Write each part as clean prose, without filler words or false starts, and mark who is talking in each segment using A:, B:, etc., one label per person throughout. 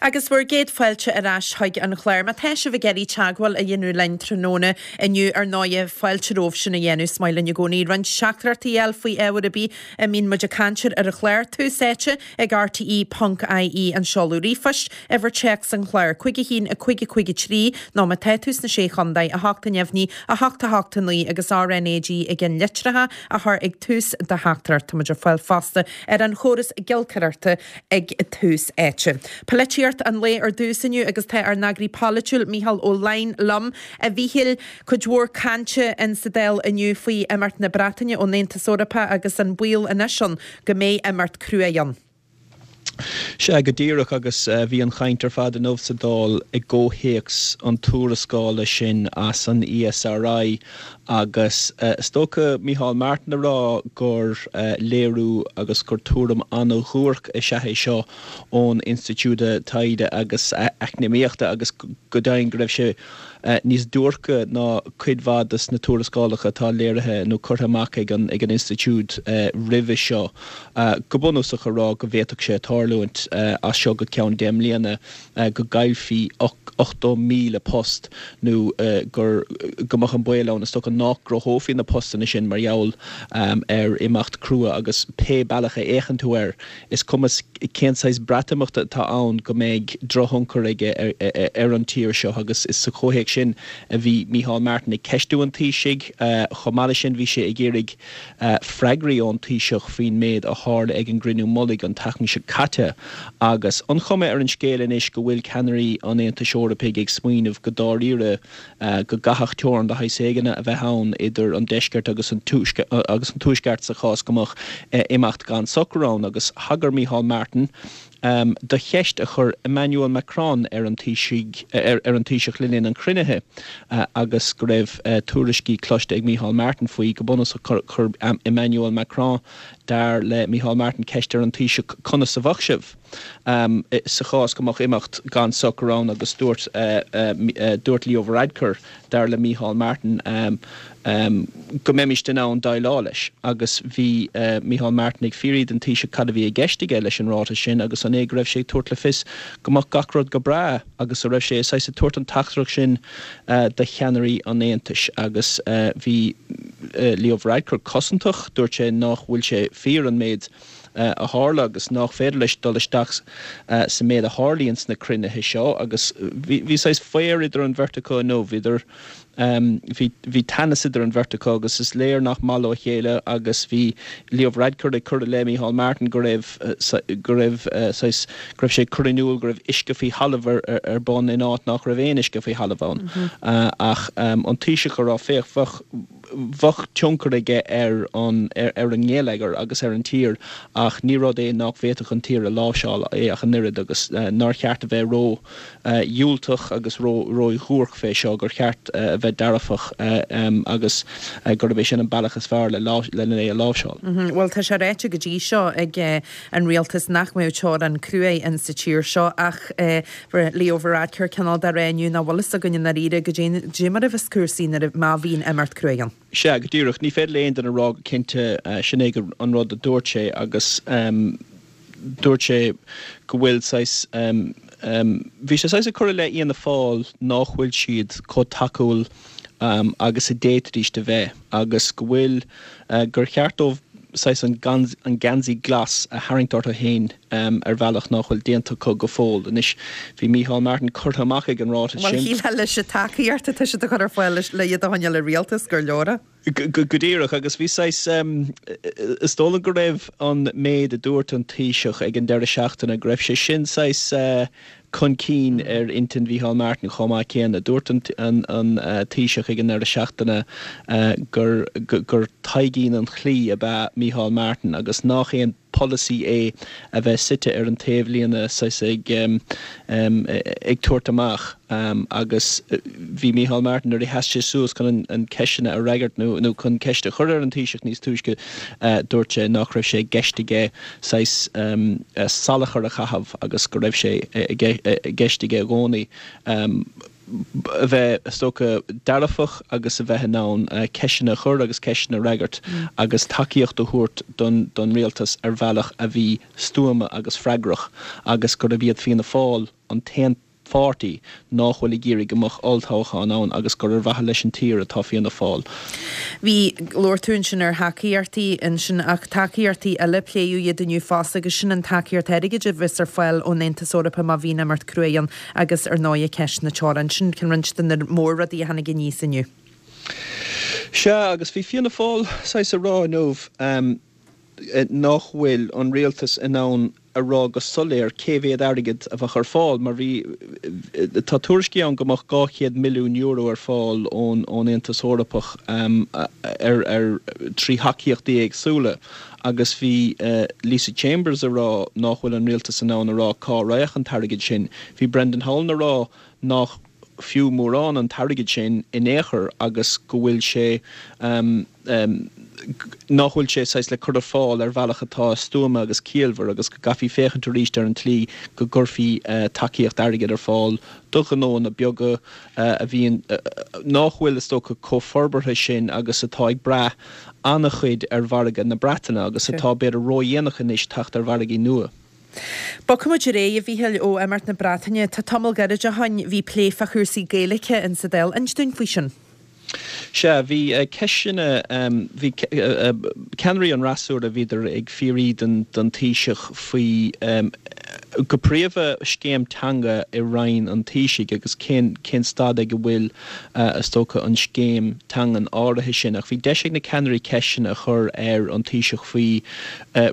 A: Agus bhur gcéad fáilte ar ais chuig an chlár. Má tá sibh ag iarraidh teagmháil a dhéanamh linn tráthnóna inniu, ar ndóighe, fáilte romhaibh sin a dhéanamh. Is maith linn i gcónaí roinnt teachtaireachtaí a fháil faoi ábhar ar bith a mbíonn muid ag caint air ar an chlár. Tús Áite ag RTE.ie an seoladh ríomhphoist, uimhir téacs an chláir, 5 1 5 5 3, nó má tá tú sna Sé Chontae, 8 neamhní, 8 8 9 agus RnaG i gceannlitreacha a chur ag tús do theachtaireacht. Tá muid ar fáil fosta ar an chóras giolcaireachta ag Tús Áite. Polaitíocht an lae ar dtús inniu agus tá ár n-eagraí polaitiúil Mícheál Ó Laighin liom. A Mhíchíl, cuid mhór cainte in sa Dáil inniu faoi imeacht na Breataine ón Aontas Eorpach agus an baol anois ann go mbeidh imeacht cruaidh ann.
B: Sea, go díreach, agus bhí an chaint ar fad inniu sa Dáil i gcomhthéacs an tuarascála sin as an ESRI Agus is dócha Micheál Martin a rá gur léiriú agus gur tuairim an-dhuairc is ea é seo ón Institiúid Taighde agus Eacnamaíochta agus go deimhin go raibh sé níos duairce ná cuid mhaith de na tuarascálacha atá léirithe nó curtha amach ag an institiúid roimhe seo. Go bunúsach a rá go bhféadfadh sé tarlúint as seo go ceann 10 mbliana go gcaillfí 80,000 post nó gur go mbeadh an baol ann, is dócha, nach gcruthófaí na postanna sin mar gheall ar imeacht crua agus pé bealach a fhéachann tú air, is cuma cén saghas Breatimeachta atá ann go mbeidh drochthionchar aige ar an tír seo agus is sa chomhthéacs sin a bhí Micheál Martin ag ceistiú an Taoisigh. Chomh maith leis sin bhí sé ag iarraidh freagraí ón Taoiseach faoin méid a tharla ag an gcruinniú mullaigh an tseachtain seo caite agus an chuma ar an scéal anois go bhfuil ceannairí an Aontais Eorpaigh ag smaoineamh go dáiríre go gcaithfeadh teorainn de shaghas éigin a bheith ann idir an deisceart agus an tuaisceart sa chás go mbeadh imeacht gan socrú ann agus thagair Micheál Martin do cheist a chuir Emmanuel Macron ar an Taoiseach le linn an chruinnithe agus go raibh tuairiscí cloiste ag Micheál Martin faoi. Go bunúsach chuir Emmanuel Macron, dar le Micheál Martin, ceist ar an Taoiseach conas a bheadh sibh sa chás go mbeadh imeacht gan socrú ann agus dúirt dúirt Leo Varadkar, dar le Micheál Martin, go mbeimist in ann déileáil leis. Agus bhí Micheál Martin ag fiafraí den Taoiseach cad a bhí i gceist aige leis an ráiteas sin agus an é go raibh sé ag tabhairt le fios go mbeadh gach rud go breá agus a raibh sé saghas ag tabhairt an teachtaireacht sin do cheannairí an Aontais. Agus bhí Leo Varadkar cosantach, dúirt sé nach bhfuil sé fíor an méid a tharla agus nach féidir leis dul isteach sa méid a tharlaíonn sna cruinnithe seo agus bhí saghas faobhar idir an bheirt acu inniu, bhíodar, bhí, bhí teannas idir an bheirt acu agus is léir nach maith leo a chéile agus bhí Leo Varadkar ag cur i leith Micheál Martin go raibh, go raibh saghas, go raibh sé ag cur in iúl go raibh uisce faoi thalamh ar, ar bun in áit nach raibh aon uisce faoi thalamh ann. Ach an Taoiseach a rá, féach, bheadh, bheadh tionchar aige ar an ar an ngeilleagar agus ar an tír ach ní rud é nach bhféadfadh an tír a láimhseáil é ach an oiread agus nár cheart a bheith ró dhiúltach agus ró ródhuairc fé seo, gur cheart a bheith dearfach agus gurb é sin an bealach is fearr le lena é a láimhseáil.
A: Bhuel tá sé ráite go dtí seo ag an rialtas nach mbeadh teorainn cruaidh in sa tír seo ach Leo Varadkar cineál de rá inniu nach bhfuil fhios againn i ndáiríre goidé mar a bheas cúrsaí nuair a má bhíonn imeacht cruaidh ann.
B: Sea, go díreach. Ní féidir le aon duine a rá go cinnte. Sin é an rud a dúirt sé agus dúirt sé go bhfuil saghas, bhí sé saghas ag cur i leith Fhianna Fáil nách bhfuil siad chomh tacúil agus a d'fhéadfaidís a bheith agus go bhfuil, gur cheart dóibh saghas an geansaí glas a tharraingt orthu féin ar bhealach nách bhfuil déanta acu go fóill. Anois, bhí Micheál Martin curtha amach ag an ráiteas
A: sin. Bhuel, shílfeá leis an tacaíocht atá siad a chur ar fáil le iad a choinneáil i rialtas gur leor é.
B: Go díreach, agus bhí saghas, is dóigh liom go raibh an méid a dúirt an Taoiseach ag an deireadh seachtaine, go raibh sé sin saghas chun cinn ar intinn Mhícheál Martin chomh maith céanna. Dúirt an Taoiseach ag an deireadh seachtaine gur gur Taidhgín an chlaí ab ea Mícheál Martin agus nach aon polasaí é a bheith suite ar an taobhlíne saghas ag ag tabhairt amach agus bhí Mícheál Martin nuair a sheas sé suas chun an ceisteanna a fhreagairt nó nó chun ceist a chur ar an Taoiseach níos túisce dúirt sé nach raibh sé i gceist aige saghas salachar a chaitheamh agus go raibh sé i gceist aige i gcónaí a bheith, is dócha, dearfach agus a bheith in ann ceisteanna a chur agus ceisteanna a fhreagairt agus tacaíocht a thabhairt don rialtas ar bhealach a bhí stuama agus freagrach agus gurb iad Fianna Fáil. an t-aon pháirtí nách bhfuil ag iarraidh go mbeadh olltoghchán ann agus gur ar mhaithe leis an tír atá Fianna Fáil.
A: Bhí, labhair tú ansin ar thacaíochtaí ansin ach tacaíochtaí eile, pléadh iad inniu fosta agus sin an tacaíocht airgid a bheas ar fáil ón Aontas Eorpach má bhíonn imeacht cruaidh ann agus ar ndóighe ceist na teorann. Sin roinnt de na mór-rudaí a tháinig aníos inniu.
B: Sea, agus bhí Fianna Fáil saghas ag rá inniu nach bhfuil an rialtas in ann a rá go soiléir cé mhéad airgead a bheadh ar fáil mar bhí, tá tuairiscí ann go mbeadh €200 milliún ar fáil ón Aontas Eorpach ar, ar, trí thacaíochtaí éagsúla agus bhí Lisa Chambers ag rá nach bhfuil an rialtas in ann a rá cá raghadh an t-airgead sin. Bhí Brendan Howlin ag rá nach fiú mórán an t-airgead sin in aon chor agus go bhfuil sé nach bhfuil sé saghas le cur ar fáil ar bhealach atá stuama agus ciallmhar agus go gcaithfí féachaint arís ar an tslí go gcuirfí tacaíocht airgid ar fáil do ghnóanna beaga a bhíonn, nach bhfuil is dócha chomh forbartha sin agus atá ag brath an-chuid ar mhargadh na Breataine agus atá b'fhéidir ródhéanach anois teacht ar mhargaí nua.
A: Bogfaimid ar aghaidh, a Mhíchíl, ó imeacht na Breataine. Tá tamall gairid ó shoin, bhí plé fá chúrsaí Gaeilge in sa Dáil. Inis dúinn faoi sin.
B: Sea, bhí ceisteanna, bhí ceannairí an fhreasúra, bhíodar ag fiafraí den Taoiseach faoi, go príomha, scéim teanga i Roinn an Taoisigh agus cén cén staid ag a bhfuil, is dócha, an scéim teangan áirithe sin. Ach bhí deis ag na ceannairí ceisteanna a chur ar an Taoiseach faoi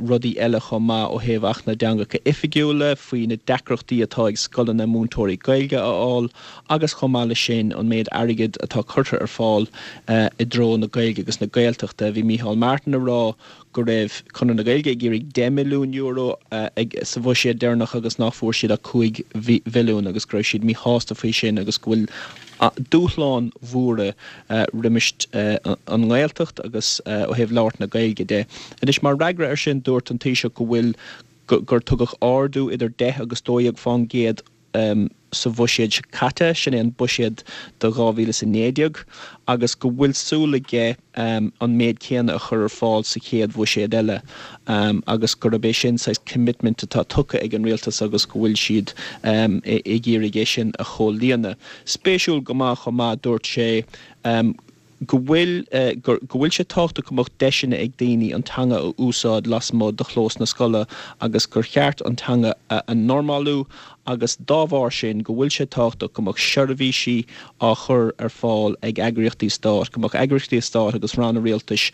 B: rudaí eile chomh maith ó thaobh Acht na dTeangacha Oifigiúla, faoi na deacrachtaí atá ag scoileanna múinteoirí Gaeilge a fháil agus chomh maith leis sin an méid airgid atá curtha ar fáil i dtreo na Gaeilge agus na Gaeltachta. Bhí Micheál Martin ag rá go raibh Conradh na Gaeilge ag iarraidh €10 milliún sa bhuiséad deireanach agus nach bhfuair siad ach 5 mhilliún agus go raibh siad míshásta faoi sin agus go bhfuil dúshláin mhóra roimis an nGaeltacht agus ó thaobh labhairt na Gaeilge de. Anois, mar fhreagra air sin, dúirt an Taoiseach go bhfuil, gur tugadh ardú idir 10 agus 12 fán gcéad sa bhuiséad seo caite, sin é an buiséad do 2019, agus go bhfuil súil aige an méid céanna a chur ar fáil sa chéad bhuiséad eile agus gurb é sin saghas commitment atá tugtha ag an rialtas agus go bhfuil siad ag iarraidh é sin a chomhlíonadh. Spéisiúil go maith chomh maith, dúirt sé go bhfuil go bhfuil sé tábhachtach go mbeadh deiseanna ag daoine an teanga a úsáid lasmuigh de chlós na scoile agus gur cheart an teanga a normalú agus dá bharr sin go bhfuil sé tábhachtach go mbeadh seirbhísí á chur ar fáil ag eagraíochtaí stáit, go mbeadh eagraíochtaí stáit agus ranna rialtais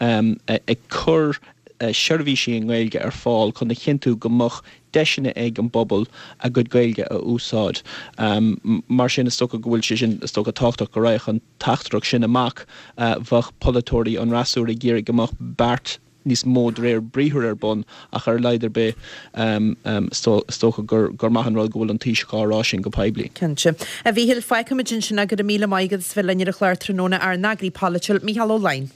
B: ag cur seirbhísí i nGaeilge ar fáil chun a chinntiú go mbeadh deiseanna ag an bpobal a gcuid Gaeilge a úsáid. Mar sin, is dócha go bhfuil sé sin, is dócha, tábhachtach go raghadh an teachtaireacht sin amach. Bheadh polaiteoirí an fhreasúra ag iarraidh go mbeadh beart níos mó de réir briathair ar bun ach ar a laghad ar bith is dócha gur maith an rud go bhfuil an Taoiseach á rá sin go poiblí.
A: Cinnte. A Mhíchíl, fágfaimid ansin é. Go raibh míle maith agat as bheith linn ar an chlár tráthnóna, ár n-eagraí polaitiúil, Mícheál Ó Laighin.